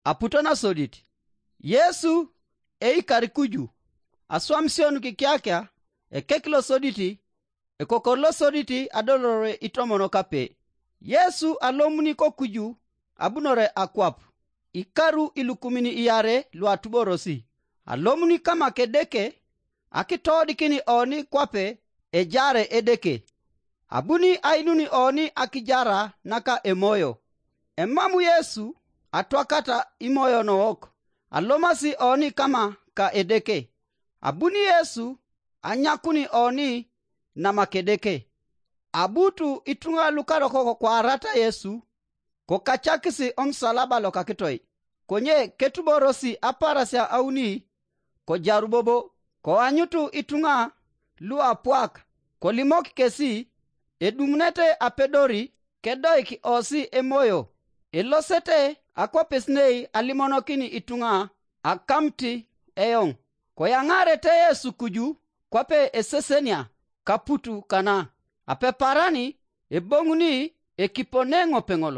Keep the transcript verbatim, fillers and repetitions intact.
aputo nasodit. Yesu eikar kuju, aswamisio nukikiakia, ekek losodit, ekokor losodit adolore itomon kape. Yesu alomuni kokuju abunore akwap, ikaru ilukumin iarei luatuborosi. Alomuni kama Kedeke, akitoodikin oni kwape ejaare Edeke. Abuni ainun oni akijara naka Emoyo. Emamu Yesu atwakata imoyo nowok, alomasi oni kama ka Edeke. Abuni Yesu anyakuni oni nama Kedeke. Abu tu ituŋa lukarokok kwaarata Yesu, kokacakisi omusalaba lokakitoi, konye ketuborosi aparasia auni, kojaru bobo, koanyutu ituŋa luapwak, kolimok kesi, edumunete apedori, kedoik osi Emoyo, elosete akwapes nei alimonokin ituŋa akamit eoŋ. Koyaŋaarete Yesu kuju kwape esesenia kaputu kana, apeparani eboŋuni ekiponeŋope ŋol.